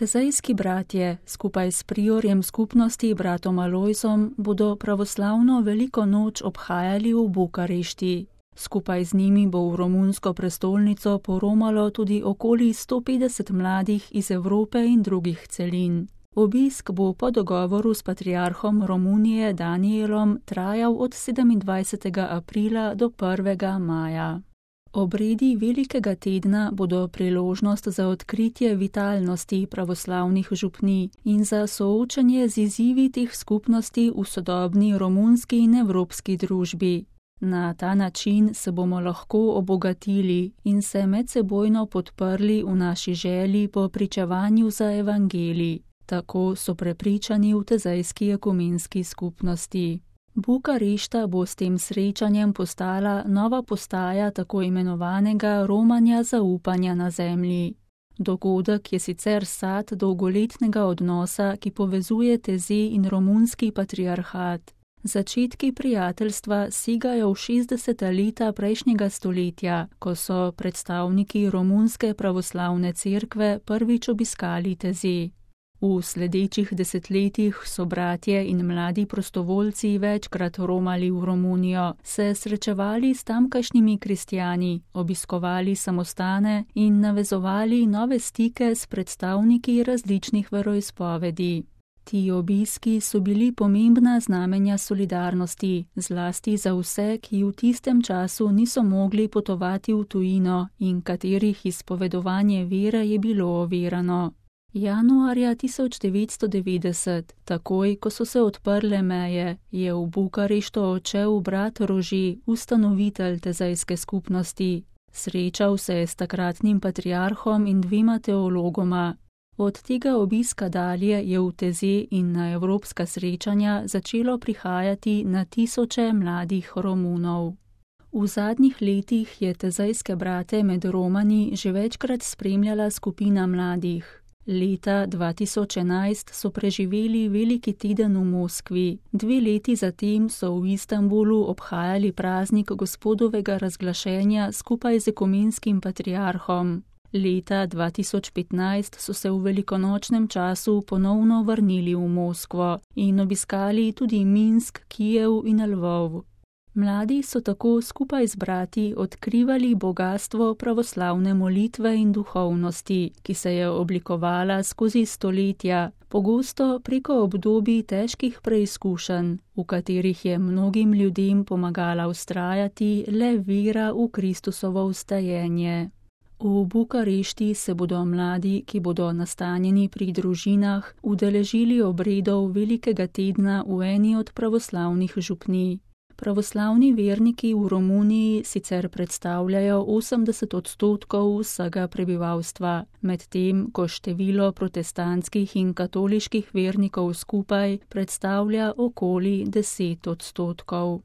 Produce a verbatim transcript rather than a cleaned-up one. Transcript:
Tezejski bratje skupaj s priorjem skupnosti bratom Alojzom bodo pravoslavno veliko noč obhajali v Bukarešti. Skupaj z njimi bo v romunsko prestolnico poromalo tudi okoli sto petdeset mladih iz Evrope in drugih celin. Obisk bo po dogovoru s patriarhom Romunije Danijelom trajal od sedemindvajsetega aprila do prvega maja. Obredi velikega tedna bodo priložnost za odkritje vitalnosti pravoslavnih župnij in za soočanje z izzivi teh skupnosti v sodobni romunski in evropski družbi. Na ta način se bomo lahko obogatili in se medsebojno podprli v naši želji po pričevanju za evangelij. Tako so prepričani v tezejski ekumenski skupnosti. Bukarešta bo s tem srečanjem postala nova postaja tako imenovanega romanja zaupanja na zemlji. Dogodek je sicer sad dolgoletnega odnosa, ki povezuje Teze in romunski patriarhat. Začetki prijateljstva segajo v šestdeseta leta prejšnjega stoletja, ko so predstavniki romunske pravoslavne cerkve prvič obiskali Teze. V sledečih desetletjih so bratje in mladi prostovoljci večkrat romali v Romunijo, se srečevali s tamkajšnjimi kristjani, obiskovali samostane in navezovali nove stike s predstavniki različnih veroizpovedi. Ti obiski so bili pomembna znamenja solidarnosti, zlasti za vse, ki v tistem času niso mogli potovati v tujino in katerih izpovedovanje vere je bilo ovirano. Januarja tisoč devetsto devetdeset, takoj ko so se odprle meje, je v Bukarešto odšel brat Rože, ustanovitelj tezejske skupnosti. Srečal se je s takratnim patriarhom in dvema teologoma. Od tega obiska dalje je v Teze in na evropska srečanja začelo prihajati na tisoče mladih Romunov. V zadnjih letih je tezejske brate med Romani že večkrat spremljala skupina mladih. Leta dva tisoč enajst so preživeli veliki teden v Moskvi, dve leti zatem so v Istanbulu obhajali praznik Gospodovega razglašenja skupaj z ekumenskim patriarhom. Leta dva tisoč petnajst so se v velikonočnem času ponovno vrnili v Moskvo in obiskali tudi Minsk, Kijev in Lvov. Mladi so tako skupaj z brati odkrivali bogastvo pravoslavne molitve in duhovnosti, ki se je oblikovala skozi stoletja, pogosto preko obdobij težkih preizkušenj, v katerih je mnogim ljudem pomagala vztrajati le vera v Kristusovo vstajenje. V Bukarešti se bodo mladi, ki bodo nastanjeni pri družinah, udeležili obredov velikega tedna v eni od pravoslavnih župnij. Pravoslavni verniki v Romuniji sicer predstavljajo osemdeset odstotkov vsega prebivalstva, medtem ko število protestantskih in katoliških vernikov skupaj predstavlja okoli deset odstotkov.